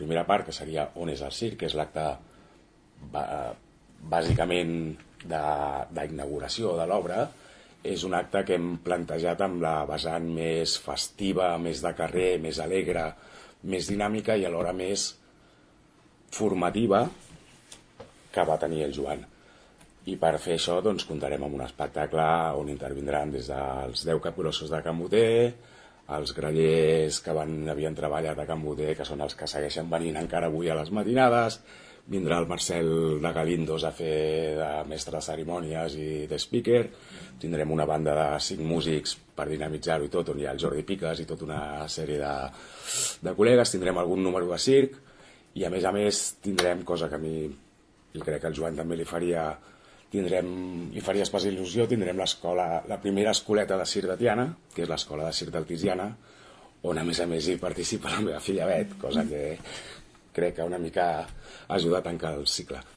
primera part, que seria On és el circ, que és l'acte bàsicament d'inauguració de l'obra, és un acte que hem plantejat amb la vessant més festiva, més de carrer, més alegre, més dinàmica i alhora més formativa que va tenir el Joan. I per fer això doncs, comptarem amb un espectacle on intervindran des dels 10 capgrossos de Can Boter, els grallers que havien treballat a Can Boter, que són els que segueixen venint encara avui a les matinades, vindrà el Marcel de Galindos a fer de mestre de cerimònies i de speaker, tindrem una banda de 5 músics per dinamitzar-ho i tot, on hi ha el Jordi Piques i tota una sèrie de col·legues, tindrem algun número de circ i a més tindrem, cosa que a mi i crec que al Joan també li faria especial il·lusió, tindrem la primera escoleta de circ de Tiana, que és l'escola de circ del Tiziana, on a més hi participa la meva filla Bet, cosa que crec que una mica ajuda a tancar el cicle.